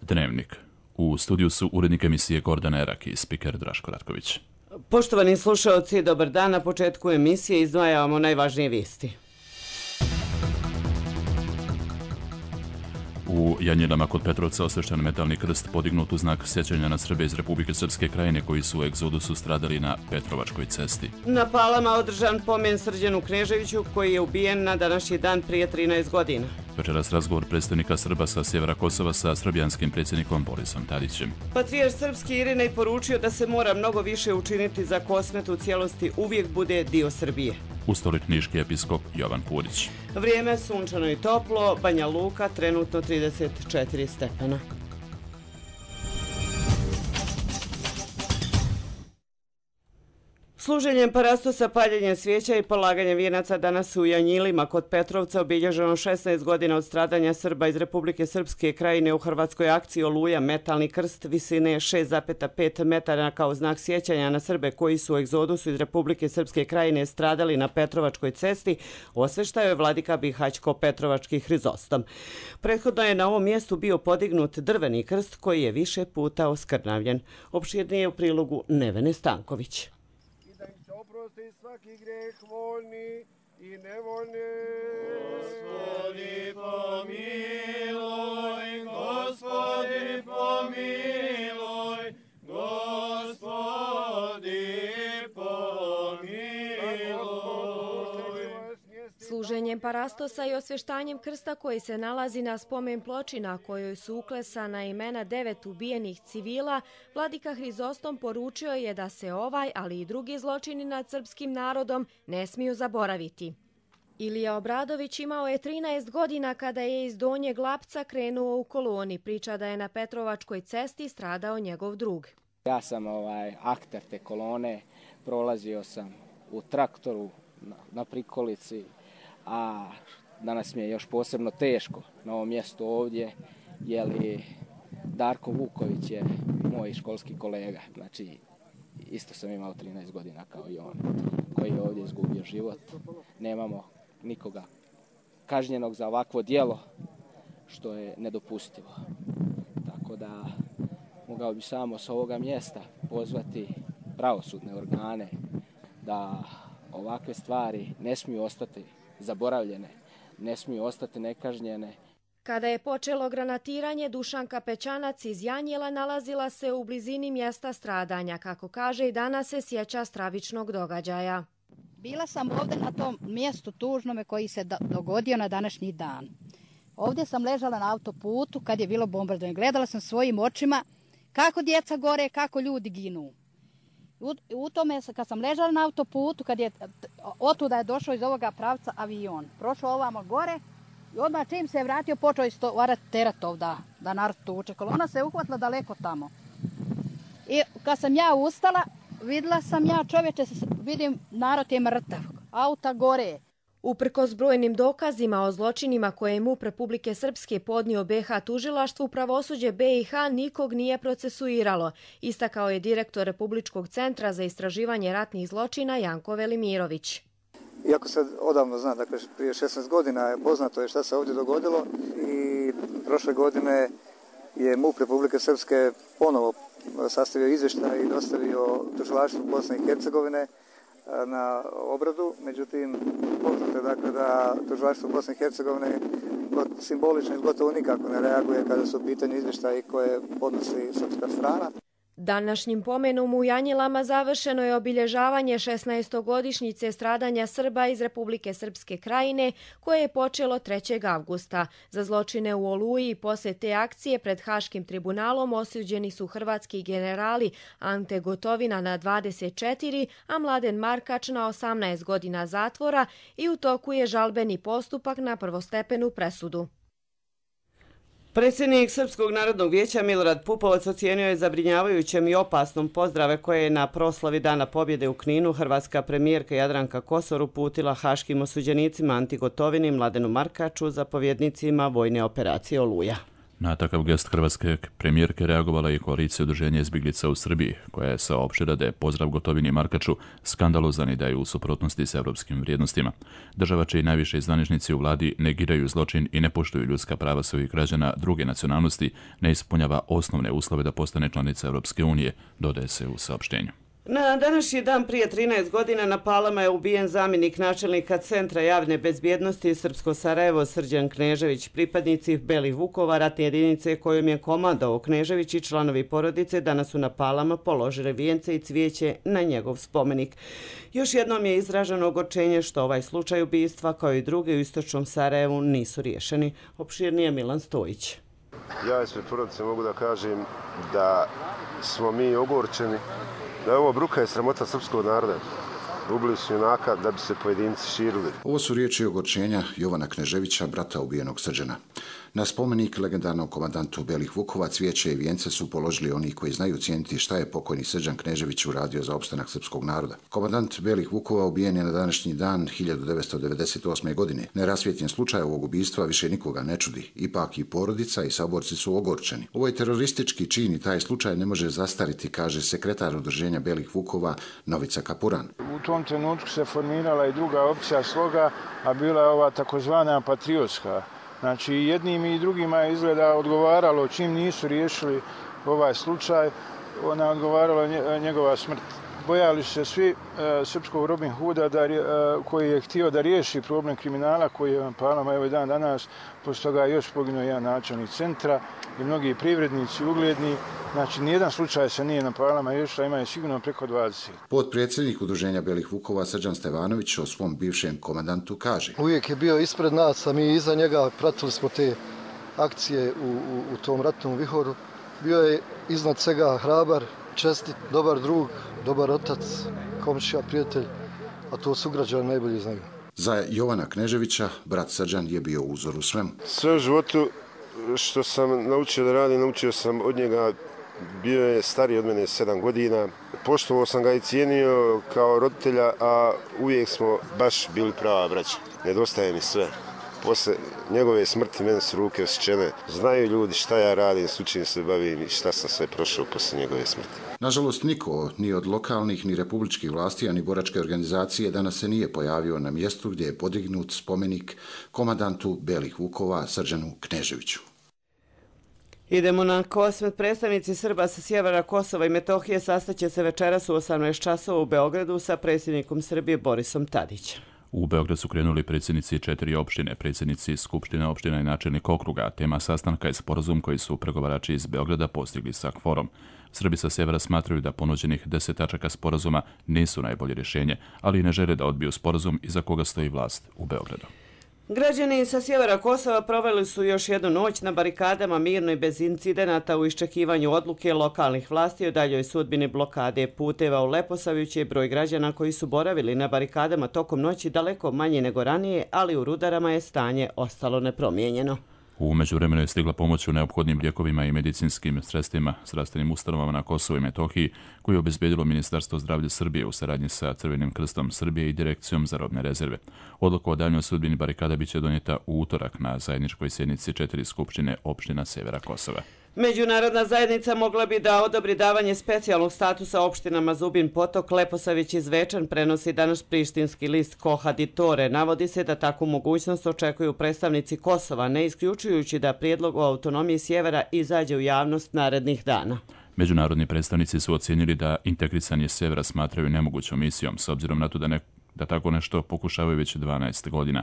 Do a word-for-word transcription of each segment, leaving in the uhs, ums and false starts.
Dnevnik. U studiju su urednik emisije Gordana Erak i spiker Draško Ratković. Poštovani slušaoci, dobar dan. Na početku emisije izdvajamo najvažnije vijesti. U Janjilama kod Petrovca osvešten metalni krst podignut u znak sjećanja na Srbe iz Republike Srpske Krajine koji su u egzodusu stradali na Petrovačkoj cesti. Na Palama održan pomen Srđanu Kneževiću koji je ubijen na današnji dan prije trinaest godina. Večeras razgovor predstavnika Srba sa sjevera Kosova sa srbijanskim predsjednikom Borisom Tadićem. Patrijarh srpski Irinej poručio da se mora mnogo više učiniti za Kosmet u cijelosti uvijek bude dio Srbije. U Stoli knjiški episkop Jovan Purić. Vrijeme sunčano i toplo, Banja Luka trenutno trideset četiri stepena. Služenjem parastosa, paljenjem svijeća i polaganjem vijenaca danas u Janjilima kod Petrovca obilježeno šesnaest godina od stradanja Srba iz Republike Srpske Krajine u hrvatskoj akciji Oluja, metalni krst visine šest zarez pet metara kao znak sjećanja na Srbe koji su u egzodusu iz Republike Srpske Krajine stradali na Petrovačkoj cesti, osveštao je vladika Bihaćko Petrovački Hrizostom. Prethodno je na ovom mjestu bio podignut drveni krst koji je više puta oskrnavljen. Opširnije u prilogu Nevene Stanković. Oprosti svaki greh voljni i nevoljni. Gospodi pomiluj, Gospodi pomiluj, Gospodi pomiluj. Služenjem parastosa i osvještanjem krsta koji se nalazi na spomen ploči na kojoj su uklesana imena devet ubijenih civila, vladika Hrizostom poručio je da se ovaj, ali i drugi zločini nad srpskim narodom ne smiju zaboraviti. Ilija Obradović imao je trinaest godina kada je iz Donjeg Lapca krenuo u koloni. Priča da je na Petrovačkoj cesti stradao njegov drug. Ja sam ovaj akter te kolone, prolazio sam u traktoru na, na prikolici, a danas mi je još posebno teško na ovom mjestu ovdje, jer Darko Vuković je moj školski kolega, znači isto sam imao trinaest godina kao i on, koji je ovdje izgubio život. Nemamo nikoga kažnjenog za ovakvo djelo, što je nedopustivo. Tako da mogao bi samo s ovoga mjesta pozvati pravosudne organe da ovakve stvari ne smiju ostati zaboravljene, ne smiju ostati nekažnjene. Kada je počelo granatiranje, Dušanka Pećanac iz Janjila nalazila se u blizini mjesta stradanja. Kako kaže, i danas se sjeća stravičnog događaja. Bila sam ovdje na tom mjestu tužnome koji se dogodio na današnji dan. Ovdje sam ležala na autoputu kad je bilo bombardovanje. Gledala sam svojim očima kako djeca gore, kako ljudi ginu. U, u tome, kad sam ležala na autoputu, kad je otuda je došao iz ovoga pravca avion, prošao ovamo gore i odmah čim se je vratio, počeo istovarati teret ovda, da narod tuče. Kolona se je uhvatila daleko tamo. I kad sam ja ustala, vidjela sam ja čovječe, vidim narod je mrtav, auta gore. Uprkos brojnim dokazima o zločinima koje je M U P Republike Srpske podnio B H tužilaštvu, pravosuđe B i H nikog nije procesuiralo, istakao je direktor Republičkog centra za istraživanje ratnih zločina Janko Velimirović. Iako se odavno zna, dakle prije šesnaest godina je poznato je šta se ovdje dogodilo i prošle godine je M U P Republike Srpske ponovo sastavio izvještaj i dostavio tužilaštvu Bosne i Hercegovine na obradu, međutim poznato je dakle da tužilaštvo Bosne i Hercegovine simbolično i gotovo nikako ne reaguje kada su u pitanju izvještaji koje podnosi srpska strana. Današnjim pomenom u Janjilama završeno je obilježavanje šesnaestogodišnjice stradanja Srba iz Republike Srpske Krajine koje je počelo trećeg avgusta. Za zločine u Oluji i poslije te akcije pred Haškim tribunalom osuđeni su hrvatski generali Ante Gotovina na dvadeset četiri, a Mladen Markač na osamnaest godina zatvora i u toku je žalbeni postupak na prvostepenu presudu. Predsjednik Srpskog narodnog vijeća Milorad Pupovac ocijenio je zabrinjavajućem i opasnom pozdrave koje je na proslavi Dana pobjede u Kninu hrvatska premijerka Jadranka Kosor uputila haškim osuđenicima Anti Gotovini, Mladenu Markaču, zapovjednicima vojne operacije Oluja. Na takav gest hrvatske premijerke reagovala je koalicija udruženja izbjeglica u Srbiji, koja je saopštila da je pozdrav Gotovini i Markaču skandalozan i da je u suprotnosti s europskim vrijednostima. Država čiji najviše zvaničnici u vladi negiraju zločin i ne poštuju ljudska prava svojih građana druge nacionalnosti, ne ispunjava osnovne uslove da postane članica Europske unije, dodaje se u saopštenju. Na današnji dan prije trinaest godina na Palama je ubijen zamjenik načelnika Centra javne bezbjednosti Srpsko Sarajevo Srđan Knežević. Pripadnici Belih Vukova, ratne jedinice kojom je komandovao Knežević i članovi porodice danas su na Palama položili vijence i cvijeće na njegov spomenik. Još jednom je izraženo ogorčenje što ovaj slučaj ubistva kao i druge u istočnom Sarajevu nisu riješeni. Opširnije Milan Stojić. Ja ispred porodice mogu da kažem da smo mi ogorčeni, da je ovo bruka i sramota srpskog naroda. Ubili su junaka da bi se pojedinci širili. Ovo su riječi ogorčenja Jovana Kneževića, brata ubijenog Srđana. Na spomenik legendarnom komandantu Belih Vukova cvijeće i vijence su položili oni koji znaju cijeniti šta je pokojni Srđan Knežević uradio za opstanak srpskog naroda. Komandant Belih Vukova ubijen je na današnji dan hiljadu devetsto devedeset osme. godine. Nerasvjetljen slučaj ovog ubistva više nikoga ne čudi. Ipak i porodica i saborci su ogorčeni. Ovo je teroristički čin i taj slučaj ne može zastariti, kaže sekretar udruženja Belih Vukova Novica Kapuran. U tom trenutku se formirala i druga opcija sloga, a bila je ova takozvana patriotska. Znači, jednim i drugima je izgleda odgovaralo, čim nisu riješili ovaj slučaj, ona odgovarala njegova smrt. Bojali su se svi e, srpskog Robin Hooda da, e, koji je htio da riješi problem kriminala koji je na Palama evo i dan danas. Poslije toga je još poginuo jedan načelnik centra i mnogi privrednici ugledni. Znači, nijedan slučaj se nije na Palama riješila, ima je sigurno preko dvadeset. Potpredsjednik udruženja Belih Vukova Srđan Stevanović o svom bivšem komandantu kaže: Uvijek je bio ispred nas, a mi iza njega pratili smo te akcije u, u, u tom ratnom vihoru. Bio je iznad svega hrabar, čestit, dobar drug, dobar otac, komšija, prijatelj, a to sugrađani najbolje znaju. Za Jovana Kneževića brat Srđan je bio uzor u svemu. Sve u životu što sam naučio da radim, naučio sam od njega. Bio je stariji od mene sedam godina. Poštovao sam ga i cijenio kao roditelja, a uvijek smo baš bili prava braća. Nedostaje mi sve. Posle njegove smrti mene su ruke osjećene. Znaju ljudi šta ja radim, s čim se bavim i šta sam sve prošao posle njegove smrti. Nažalost, niko, ni od lokalnih, ni republičkih vlasti, ni boračke organizacije danas se nije pojavio na mjestu gdje je podignut spomenik komandantu Belih Vukova Srđanu Kneževiću. Idemo na Kosmet. Predstavnici Srba sa sjevera Kosova i Metohije sastaće se večeras u osamnaest časova u Beogradu sa predsjednikom Srbije Borisom Tadićem. U Beograd su krenuli predsjednici četiri opštine, predsjednici Skupštine opština i načelnik okruga. Tema sastanka je sporazum koji su pregovarači iz Beograda postigli sa KFOR-om. Srbi sa sjevera smatraju da ponuđenih deset tačaka sporazuma nisu najbolje rješenje, ali i ne žele da odbiju sporazum iza koga stoji vlast u Beogradu. Građani sa sjevera Kosova proveli su još jednu noć na barikadama mirno i bez incidenata u iščekivanju odluke lokalnih vlasti o daljoj sudbini blokade puteva. U Leposaviću je broj građana koji su boravili na barikadama tokom noći daleko manji nego ranije, ali u Rudarama je stanje ostalo nepromijenjeno. U međuvremenu je stigla pomoć u neophodnim lijekovima i medicinskim sredstvima zdravstvenim ustanovama na Kosovu i Metohiji, koju je obezbedilo Ministarstvo zdravlja Srbije u saradnji sa Crvenim krstom Srbije i Direkcijom za robne rezerve. Odluka o daljnjoj sudbini barikada biće donijeta u utorak na zajedničkoj sjednici četiri skupštine opština severa Kosova. Međunarodna zajednica mogla bi da odobri davanje specijalnog statusa opštinama Zubin Potok, Leposavić i Zvečan, prenosi danas prištinski list Kohaditore. Navodi se da takvu mogućnost očekuju predstavnici Kosova, ne isključujući da prijedlog o autonomiji sjevera izađe u javnost narednih dana. Međunarodni predstavnici su ocijenili da integrisanje sjevera smatraju nemogućom misijom, s obzirom na to da, ne, da tako nešto pokušavaju već dvanaest godina.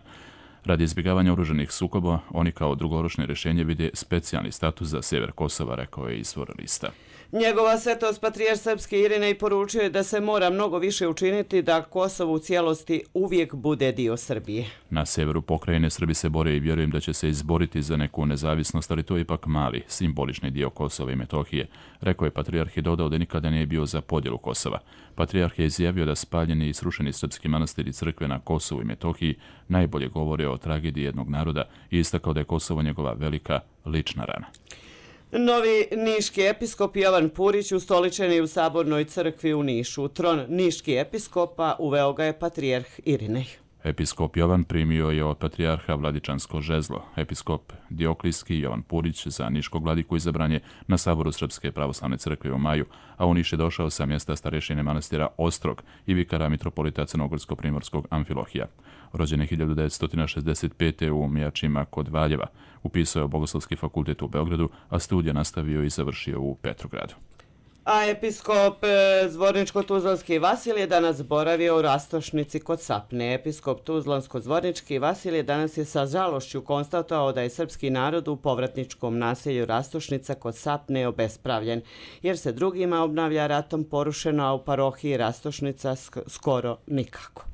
Radi izbjegavanja oružanih sukoba, oni kao drugoročno rješenje vide specijalni status za sjever Kosova, rekao je izvor lista. Njegova svetost patrijarh srpski Irinej poručuje da se mora mnogo više učiniti da Kosovo u cijelosti uvijek bude dio Srbije. Na sjeveru pokrajine Srbi se bore i vjerujem da će se izboriti za neku nezavisnost, ali to je ipak mali, simbolični dio Kosova i Metohije, rekao je patrijarh i dodao da nikada nije bio za podjelu Kosova. Patrijarh je izjavio da spaljeni i srušeni srpski manastiri i crkve na Kosovu i Metohiji najbolje govore o tragediji jednog naroda i istakao da je Kosovo njegova velika lična rana. Novi niški episkop Jovan Purić ustoličen je u Sabornoj crkvi u Nišu. U tron niški episkopa uveo ga je patrijarh Irinej. Episkop Jovan primio je od patrijarha vladičansko žezlo. Episkop Dioklijski Jovan Purić za niškog vladiku izabran je na saboru Srpske pravoslavne crkve u maju, a u Niš je došao sa mjesta starešine manastira Ostrog i vikara mitropolita Crnogorsko-primorskog Amfilohija. Rođen je hiljadu devetsto šezdeset pete u Mijačima kod Valjeva. Upisao je Bogoslovski fakultet u Beogradu, a studije nastavio i završio u Petrogradu. A episkop Zvorničko-Tuzlanski Vasilije danas boravio u Rastošnici kod Sapne. Episkop Tuzlansko-Zvornički Vasilije danas je sa žalošću konstatovao da je srpski narod u povratničkom naselju Rastošnica kod Sapne obespravljen, jer se drugima obnavlja ratom porušeno, a u parohiji Rastošnica skoro nikako.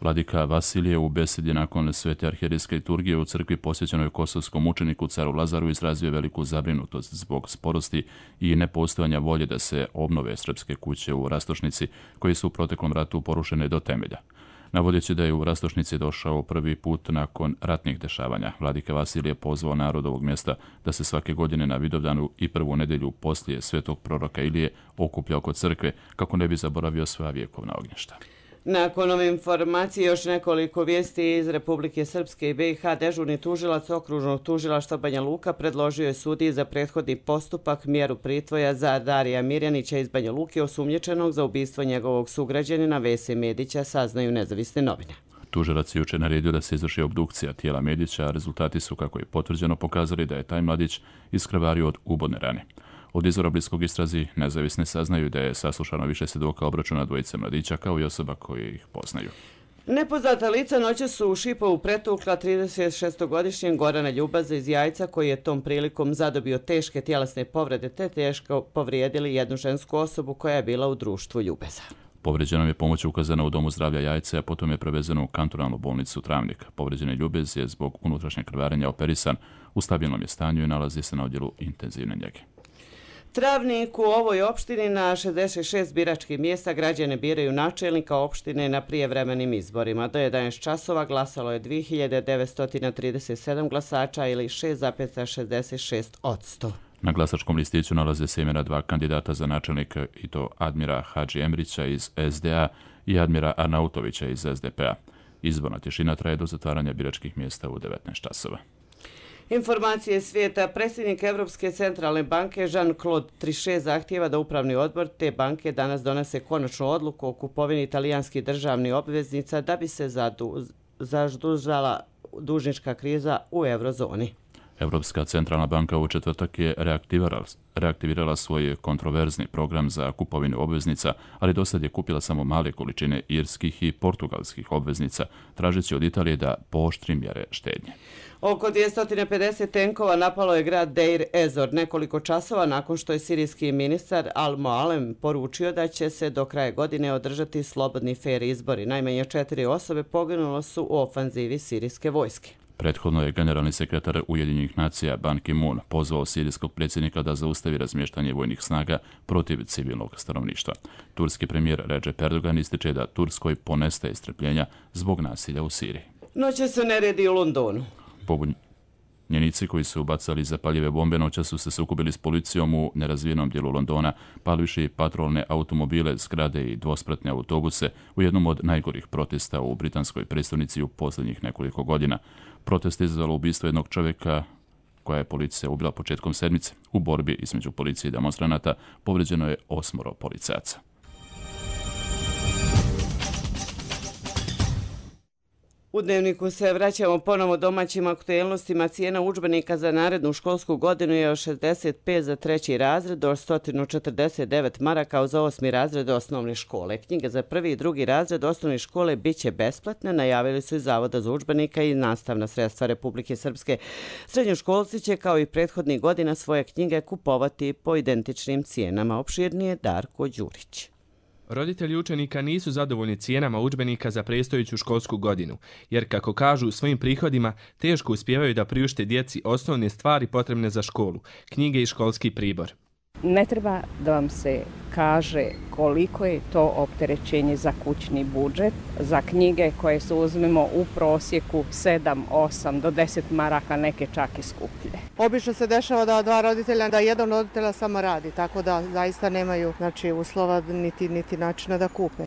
Vladika Vasilije u besedi nakon svete arhijerijske liturgije u crkvi posvećenoj kosovskom učeniku caru Lazaru izrazio veliku zabrinutost zbog sporosti i nepostojanja volje da se obnove srpske kuće u Rastošnici, koje su u proteklom ratu porušene do temelja. Navodeći da je u Rastošnici došao prvi put nakon ratnih dešavanja, vladika Vasilije pozvao narod ovog mjesta da se svake godine na Vidovdanu i prvu nedelju poslije svetog proroka Ilije okuplja oko crkve kako ne bi zaboravio svoja vjekovna ognjišta. Nakon ove informacije još nekoliko vijesti iz Republike Srpske i B i H. Dežurni tužilac okružnog tužilaštva Banja Luka predložio je sudiji za prethodni postupak mjeru pritvoja za Darija Mirjanića iz Banja Luke, osumnjičenog za ubistvo njegovog sugrađanina Vese Medića, saznaju nezavisne novine. Tužilac je jučer naredio da se izvrši obdukcija tijela Medića, a rezultati su, kako je potvrđeno, pokazali da je taj mladić iskrvario od ubodne rane. Od izvora bliskog istrazi nezavisne saznaju da je saslušano više svjedoka obračuna dvojice mladića kao i osoba koje ih poznaju. Nepoznata lica noćas su u Šipovu pretukla trideset šestogodišnjeg Gorana Ljubaza iz Jajca, koji je tom prilikom zadobio teške tjelesne povrede te teško povrijedili jednu žensku osobu koja je bila u društvu Ljubeza. Povređenom je pomoć ukazana u Domu zdravlja Jajce, a potom je prevezeno u kantonalnu bolnicu Travnik. Povređeni Ljubez je zbog unutrašnjeg krvarenja operisan, u stabilnom je stanju i nalazi se na odjelu intenzivne njege. Travnik u ovoj opštini na šezdeset šest biračkih mjesta građane biraju načelnika opštine na prijevremenim izborima. Do jedanaest časova glasalo je dvije hiljade devetsto trideset sedam glasača ili šest zarez šezdeset šest posto. Na glasačkom listiću nalaze se imena dva kandidata za načelnika, i to Admira Hadži Emrića iz S D A i Admira Arnautovića iz S D P A. Izborna tišina traje do zatvaranja biračkih mjesta u devetnaest časova. Informacije svijeta. Predsjednik Evropske centralne banke Jean-Claude Trichet zahtijeva da upravni odbor te banke danas donese konačnu odluku o kupovini italijanskih državnih obveznica da bi se zadužala dužnička kriza u eurozoni. Evropska centralna banka u četvrtak je reaktivirala, reaktivirala svoj kontroverzni program za kupovinu obveznica, ali dosad je kupila samo male količine irskih i portugalskih obveznica, tražeći od Italije da pooštri mjere štednje. Oko dvjesto pedeset tenkova napalo je grad Deir Ezor nekoliko časova nakon što je sirijski ministar Al-Moalem poručio da će se do kraja godine održati slobodni fer izbori. Najmanje četiri osobe poginulo su u ofanzivi sirijske vojske. Prethodno je generalni sekretar Ujedinjenih nacija Ban Ki-moon pozvao sirijskog predsjednika da zaustavi razmještanje vojnih snaga protiv civilnog stanovništva. Turski premijer Recep Erdogan ističe da Turskoj ponestaje strpljenja zbog nasilja u Siriji. Noće se neredi u Londonu. Pobunjenici koji su ubacali zapaljive bombe noća su se sukobili s policijom u nerazvijenom dijelu Londona, palivši patrolne automobile, zgrade i dvospratne autobuse u jednom od najgorih protesta u britanskoj prestonici u posljednjih nekoliko godina. Protest je izazvalo ubistvo jednog čovjeka koja je policija ubila početkom sedmice. U borbi između policije i demonstranata povređeno je osmoro policajaca. U Dnevniku se vraćamo ponovo domaćim aktuelnostima. Cijena udžbenika za narednu školsku godinu je od šezdeset pet za treći razred do sto četrdeset devet maraka za osmi razred osnovne škole. Knjige za prvi i drugi razred osnovne škole bit će besplatne, najavili su iz Zavoda za udžbenika i nastavna sredstva Republike Srpske. Srednjoškolci će kao i prethodnih godina svoje knjige kupovati po identičnim cijenama. Opširnije Darko Đurić. Roditelji učenika nisu zadovoljni cijenama udžbenika za predstojeću školsku godinu, jer, kako kažu, svojim prihodima teško uspijevaju da priušte djeci osnovne stvari potrebne za školu, knjige i školski pribor. Ne treba da vam se kaže koliko je to opterećenje za kućni budžet, za knjige koje se uzmemo u prosjeku sedam, osam do deset maraka, neke čak i skuplje. Obično se dešava da dva roditelja, da jedan roditelja samo radi, tako da zaista nemaju znači, uslova niti, niti načina da kupe.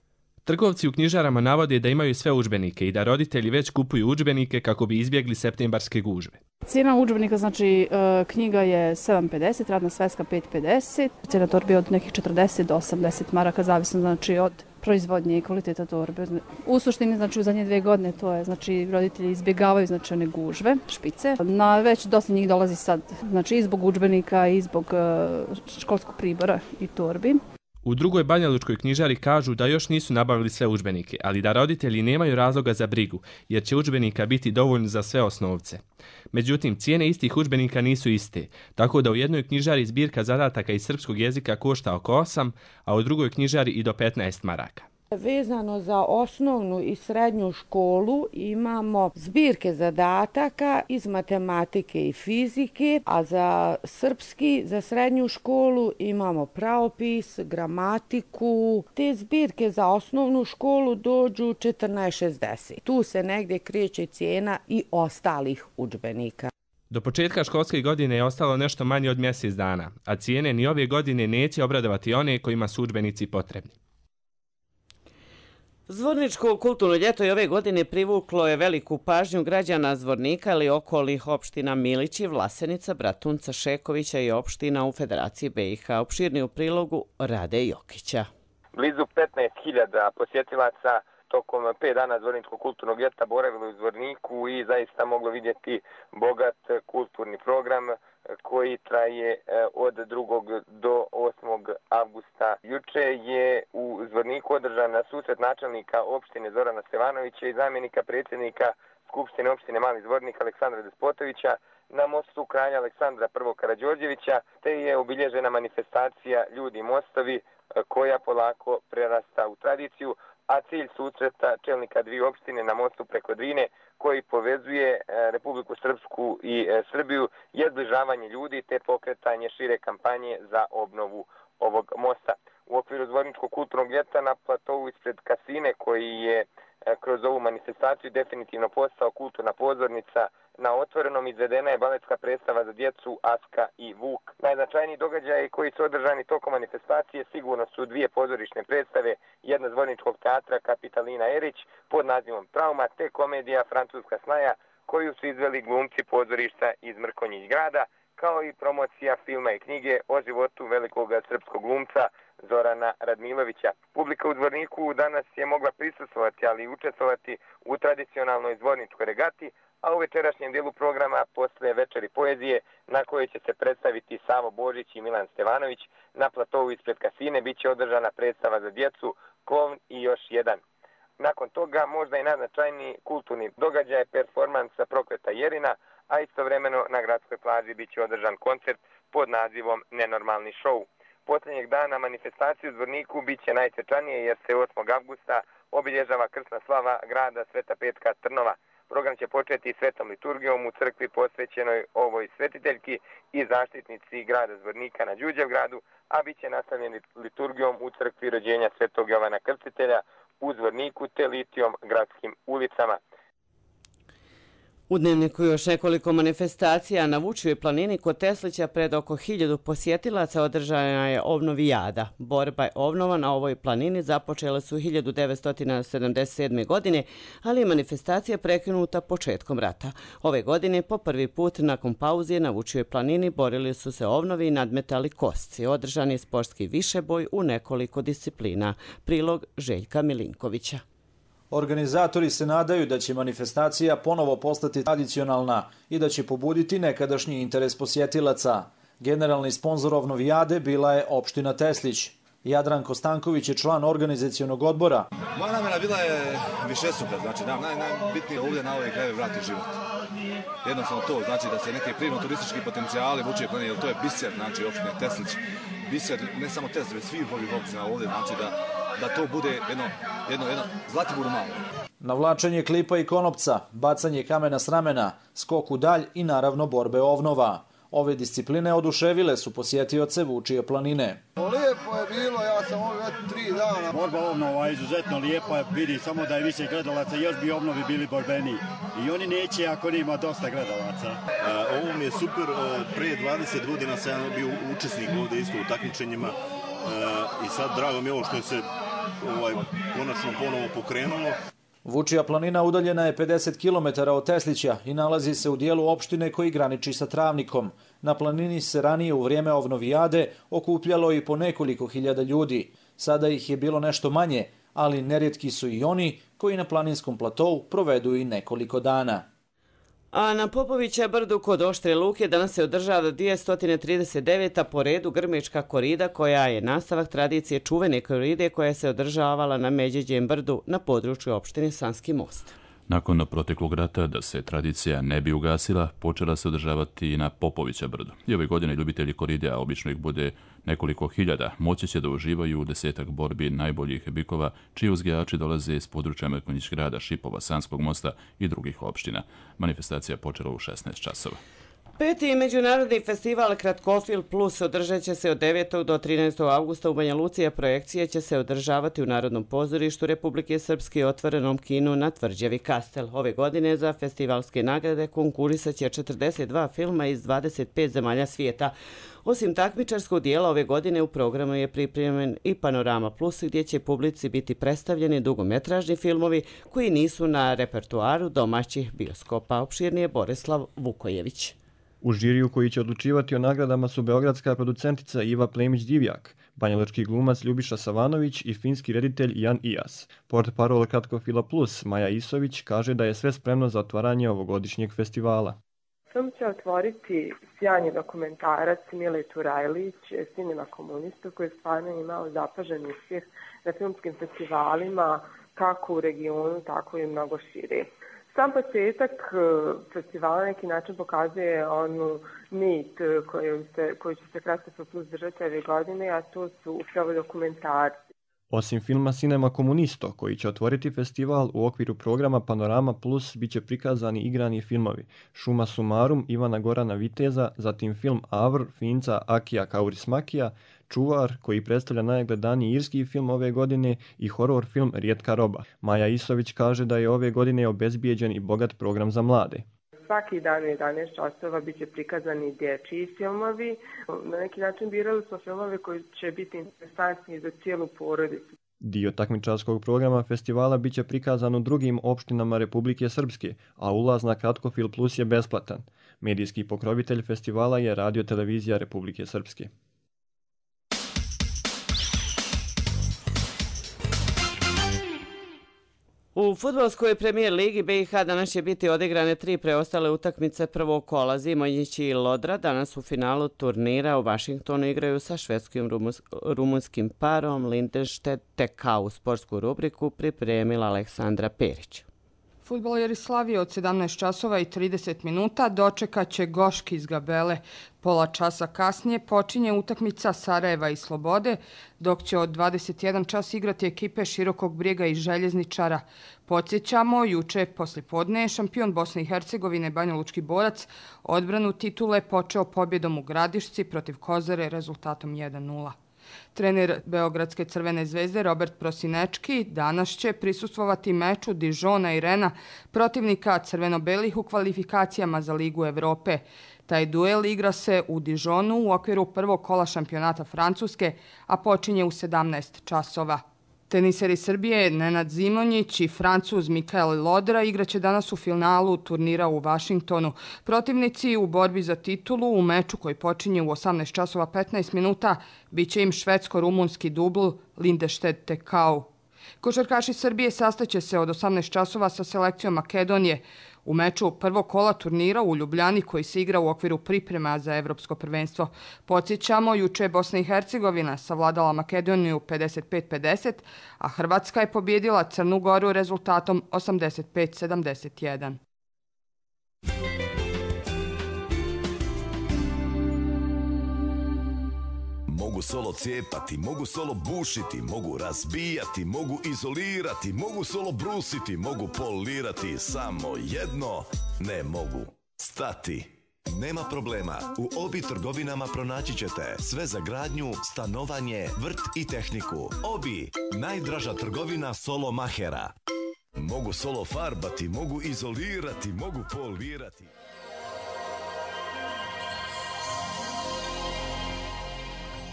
Trgovci u knjižarama navode da imaju sve udžbenike i da roditelji već kupuju udžbenike kako bi izbjegli septembarske gužve. Cijena udžbenika, znači knjiga je sedam pedeset, radna sveska pet pedeset, cijena torbe od nekih četrdeset do osamdeset maraka, zavisno znači od proizvodnje i kvaliteta torbe. U suštini, znači u zadnje dvije godine to je, znači roditelji izbjegavaju znači one gužve, špice. Na već dosta njih dolazi sad, znači i zbog udžbenika i zbog školskog pribora i torbi. U drugoj banjalučkoj knjižari kažu da još nisu nabavili sve udžbenike, ali da roditelji nemaju razloga za brigu, jer će udžbenika biti dovoljno za sve osnovce. Međutim, cijene istih udžbenika nisu iste, tako da u jednoj knjižari zbirka zadataka iz srpskog jezika košta oko osam, a u drugoj knjižari i do petnaest maraka. Vezano za osnovnu i srednju školu imamo zbirke zadataka iz matematike i fizike, a za srpski, za srednju školu imamo pravopis, gramatiku. Te zbirke za osnovnu školu dođu četrnaest šezdeset. Tu se negdje kreće cijena i ostalih udžbenika. Do početka školske godine je ostalo nešto manje od mjesec dana, a cijene ni ove godine neće obradovati one kojima su udžbenici potrebni. Zvorničko kulturno ljeto i ove godine privuklo je veliku pažnju građana Zvornika ili okolnih opština Milići, Vlasenica, Bratunca, Šekovića i opština u Federaciji B i H. Opširni u prilogu Rade Jokića. Blizu petnaest hiljada posjetilaca tokom pet dana Zvorničkog kulturnog ljeta boravilo u Zvorniku i zaista moglo vidjeti bogat kulturni program koji traje od drugog do osmog avgusta. Juče je u Zvorniku održana susret načelnika opštine Zorana Stevanovića i zamjenika predsjednika Skupštine opštine Mali Zvornik Aleksandra Despotovića na mostu kralja Aleksandra I. Karađorđevića, te je obilježena manifestacija Ljudi mostovi koja polako prerasta u tradiciju, a cilj susreta čelnika dvije opštine na mostu preko Drine koji povezuje Republiku Srpsku i Srbiju je zbližavanje ljudi te pokretanje šire kampanje za obnovu ovog mosta. U okviru Zvorničkog kulturnog ljeta na platovu ispred kasine koji je kroz ovu manifestaciju definitivno postao kulturna pozornica, na otvorenom izvedena je baletska predstava za djecu Aska i Vuk. Najznačajniji događaji koji su održani tokom manifestacije sigurno su dvije pozorišne predstave, jedna Zvorničkog teatra Kapitalina Erić pod nazivom Trauma te komedija Francuska snaja koju su izveli glumci pozorišta iz Mrkonjić grada, kao i promocija filma i knjige o životu velikog srpskog glumca Zorana Radmilovića. Publika u Zvorniku danas je mogla prisustvovati, ali i učestvovati u tradicionalnoj zvorničkoj regati, a u večerašnjem dijelu programa posle večeri poezije na kojoj će se predstaviti Savo Božić i Milan Stevanović, na platovu ispred kasine bit će održana predstava za djecu, Klovn i još jedan. Nakon toga možda i najznačajniji kulturni događaj performansa Prokleta Jerina, a istovremeno na gradskoj plaži bit će održan koncert pod nazivom Nenormalni šou. Posljednjeg dana manifestacije u Zvorniku bit će najsvečanije jer se osmog avgusta obilježava krsna slava grada Sveta Petka Trnova. Program će početi svetom liturgijom u crkvi posvećenoj ovoj svetiteljki i zaštitnici grada Zvornika na Đurđevgradu, a bit će nastavljen liturgijom u crkvi rođenja Svetog Jovana Krstitelja u Zvorniku te litijom gradskim ulicama. U Dnevniku još nekoliko manifestacija na Vučijoj planini kod Teslića pred oko hiljadu posjetilaca održana je obnovijada. Borba je obnova na ovoj planini započele su hiljadu devetsto sedamdeset sedme. godine, ali je manifestacija prekinuta početkom rata. Ove godine po prvi put nakon pauze na Vučijoj planini borili su se obnovi i nadmetali kosci. Održan je sportski višeboj u nekoliko disciplina. Prilog Željka Milinkovića. Organizatori se nadaju da će manifestacija ponovo postati tradicionalna i da će pobuditi nekadašnji interes posjetilaca. Generalni sponzor obnovijade bila je opština Teslić. Jadranko Stanković je član organizacionog odbora. Moja namjera bila je višestruka, znači naj, naj, najbitnije ovdje na ove krajeve vrati život. Jednostavno to, znači da se neke prirodno-turistički potencijali Vučije planine, jer to je biser, znači opštine Teslić, biser ne samo Teslić, već svih ovih opština ovdje, znači da da to bude jedno, jedno, jedno Zlatiboru malo. Navlačenje klipa i konopca, bacanje kamena s ramena, skok u dalj i naravno borbe ovnova. Ove discipline oduševile su posjetioce Vučije planine. Lijepo je bilo, ja sam ovdje već tri dana. Borba ovnova je izuzetno lijepa, vidi samo da je više gledalaca, još bi obnovi bili borbeniji. I oni neće ako nima dosta gledalaca. A, ovo mi je super, pre dvadeset godina sam bio učesnik ovdje isto u takmičenjima. I sad drago mi je ovo što se ovaj, konačno ponovo pokrenulo. Vučija planina udaljena je pedeset kilometara od Teslića i nalazi se u dijelu opštine koji graniči sa Travnikom. Na planini se ranije u vrijeme ovnovijade okupljalo i po nekoliko hiljada ljudi. Sada ih je bilo nešto manje, ali nerijetki su i oni koji na planinskom platovu provedu i nekoliko dana. A na Popovića brdu kod Oštre Luke danas se održava dvjesto trideset deveta po redu Grmečka korida, koja je nastavak tradicije čuvene koride koja se održavala na Međeđem brdu na području opštine Sanski Most. Nakon proteklog rata, da se tradicija ne bi ugasila, počela se održavati i na Popovića brdu. I ove godine ljubitelji koride, a obično ih bude nekoliko hiljada, moći će da uživaju u desetak borbi najboljih bikova, čiji uzgajači dolaze iz područja Mrkonjić grada, Šipova, Sanskog mosta i drugih opština. Manifestacija počela u šesnaest časova. Peti međunarodni festival Kratkofilm Plus održat će se od devetog do trinaestog avgusta u Banja Luci, a projekcije će se održavati u Narodnom pozorištu Republike Srpske i otvorenom kinu na Tvrđavi Kastel. Ove godine za festivalske nagrade konkurisat će četrdeset dva filma iz dvadeset pet zemalja svijeta. Osim takmičarskog dijela, ove godine u programu je pripremljen i Panorama Plus, gdje će publici biti predstavljeni dugometražni filmovi koji nisu na repertuaru domaćih bioskopa. Opširnije Borislav Vukojević. U žiriju koji će odlučivati o nagradama su beogradska producentica Iva Plemić-Divjak, banjalučki glumac Ljubiša Savanović i finski reditelj Jan Ijas. Portparol Kratkofila Plus Maja Isović kaže da je sve spremno za otvaranje ovogodišnjeg festivala. Film će otvoriti sjajni dokumentarac Mile Turajlić, Sinima komunista, koji je stvarno imao zapažen uspjeh na filmskim festivalima, kako u regionu, tako i mnogo šire. Sam početak festivala na neki način pokazuje onu nit koju, se, koju će se Kratkofil Plus držati ove godine, a to su upravo dokumentarci. Osim filma Cinema Komunisto, koji će otvoriti festival, u okviru programa Panorama Plus bit će prikazani igrani filmovi Šuma sumarum Ivana Gorana Viteza, zatim film Avr Finca Akija Kaurismakija, Čuvar, koji predstavlja najgledaniji irski film ove godine, i horor film Rijetka roba. Maja Isović kaže da je ove godine obezbijeđen i bogat program za mlade. Svaki dan u jedanaest časova bit će prikazani dječji filmovi. Na neki način birali smo filmove koji će biti interesantni za cijelu porodicu. Dio takmičarskog programa festivala bit će prikazan u drugim opštinama Republike Srpske, a ulaz na Kratkofil Plus je besplatan. Medijski pokrovitelj festivala je Radio Televizija Republike Srpske. U fudbalskoj premijer ligi B i H danas će biti odigrane tri preostale utakmice prvog kola. Zimonjić i Lodra danas u finalu turnira u Vašingtonu igraju sa švedskim rumunskim parom Lindenstedt T K. U sportsku rubriku pripremila Aleksandra Perić. Fudbaleri Slavije od sedamnaest časova i trideset minuta dočekat će Goški iz Gabele. Pola časa kasnije počinje utakmica Sarajeva i Slobode, dok će od dvadeset jedan čas igrati ekipe Širokog Brijega i Željezničara. Podsjećamo, juče poslijepodne je šampion Bosne i Hercegovine Banjalučki Borac odbranu titule počeo pobjedom u Gradišci protiv Kozare rezultatom jedan nula. Trener Beogradske Crvene zvezde Robert Prosinečki danas će prisustvovati meču Dižona i Rena, protivnika crveno-belih u kvalifikacijama za Ligu Evrope. Taj duel igra se u Dižonu u okviru prvog kola šampionata Francuske, a počinje u sedamnaest časova. Teniseri Srbije Nenad Zimonjić i Francuz Mikael Lodra igraće danas u finalu turnira u Vašingtonu. Protivnici u borbi za titulu u meču koji počinje u osamnaest časova petnaest minuta bit će im švedsko-rumunski dubl Lindenstedt T K. Košarkaši Srbije sastaće se od osamnaest časova sa selekcijom Makedonije u meču prvog kola turnira u Ljubljani koji se igra u okviru priprema za evropsko prvenstvo. Podsjećamo, juče je Bosna i Hercegovina savladala Makedoniju pedeset pet pedeset, a Hrvatska je pobjedila Crnu Goru rezultatom osamdeset pet sedamdeset jedan. Mogu solo cijepati, mogu solo bušiti, mogu razbijati, mogu izolirati, mogu solo brusiti, mogu polirati, samo jedno ne mogu stati. Nema problema, u Obi trgovinama pronaći ćete sve za gradnju, stanovanje, vrt i tehniku. Obi, najdraža trgovina solo mahera. Mogu solo farbati, mogu izolirati, mogu polirati.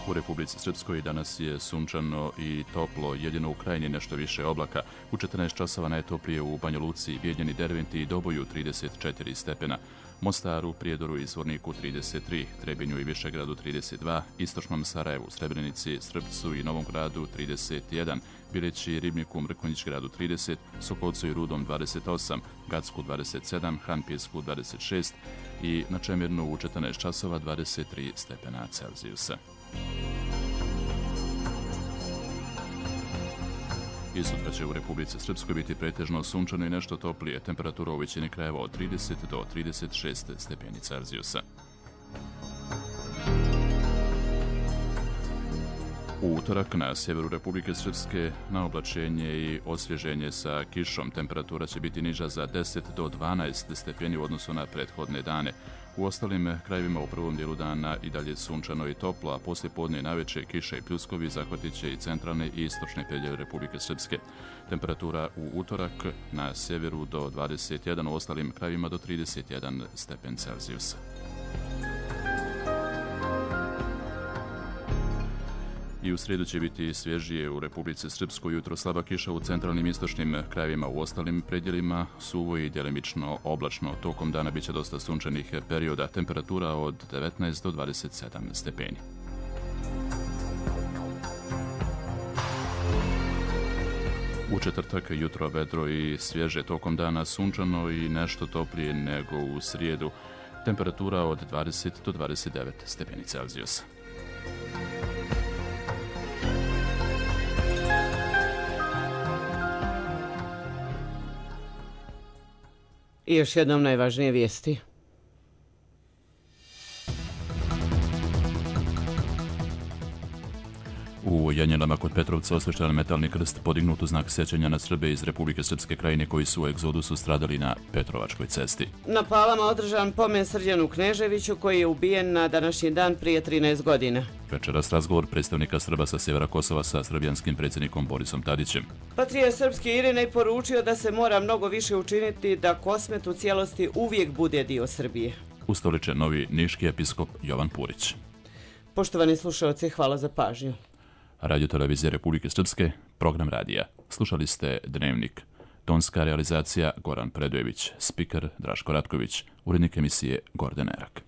U Republici Srpskoj danas je sunčano i toplo, jedino u Krajini nešto više oblaka. U četrnaest časova najtoplije u Banja Luci, Bijeljini, Derventi i Doboju trideset četiri stepena. Mostaru, Prijedoru i Zvorniku trideset tri, Trebinju i Višegradu trideset dva, Istočnom Sarajevu, Srebrenici, Srpcu i Novom Gradu trideset jedan, Bileći, Ribniku, Mrkonjić Gradu trideset, Sokolcu i Rudom dvadeset osam, Gacku dvadeset sedam, Hanpjesku dvadeset šest i na Čemirnu u četrnaest časova dvadeset tri stepena Celzijusa. I sutra će u Republici Srpskoj biti pretežno sunčano i nešto toplije, temperatura u većini krajeva od trideset do trideset šest stepeni Celzijusa. U utorak na sjeveru Republike Srpske na oblačenje i osvježenje sa kišom. Temperatura će biti niža za deset do dvanaest stepeni u odnosu na prethodne dane. U ostalim krajevima u prvom dijelu dana i dalje sunčano i toplo, a poslije podne i naveče kiša i pljuskovi zahvatit će i centralne i istočne predjele Republike Srpske. Temperatura u utorak na sjeveru do dvadeset jedan, u ostalim krajevima do trideset jedan stepen Celzijusa. I u srijedu će biti svježije u Republici Srpskoj, jutro slaba kiša u centralnim i istočnim krajevima, u ostalim predjelima suvo i djelimično oblačno. Tokom dana biće dosta sunčanih perioda, temperatura od devetnaest do dvadeset sedam stepeni. U četvrtak jutro vedro i svježe, tokom dana sunčano i nešto toplije nego u srijedu, temperatura od dvadeset do dvadeset devet stepeni Celzijusa. I još jednom najvažnije vijesti. U Janjelama kod Petrovca osvešten metalni krst podignut u znak sjećanja na Srbe iz Republike Srpske Krajine koji su u egzodusu stradali na Petrovačkoj cesti. Na Palama održan pomen Srđanu Kneževiću koji je ubijen na današnji dan prije trinaest godina. Večeras razgovor predstavnika Srba sa sjevera Kosova sa srbijanskim predsjednikom Borisom Tadićem. Patrijarh srpski Irinej poručio da se mora mnogo više učiniti da Kosmet u cijelosti uvijek bude dio Srbije. Ustoličen novi niški episkop Jovan Purić. Poštovani slušalci, hvala za pažnju. Radio Televizije Republike Srpske, program radija. Slušali ste Dnevnik. Tonska realizacija Goran Predojević, spiker Draško Ratković, urednik emisije Gorden Erak.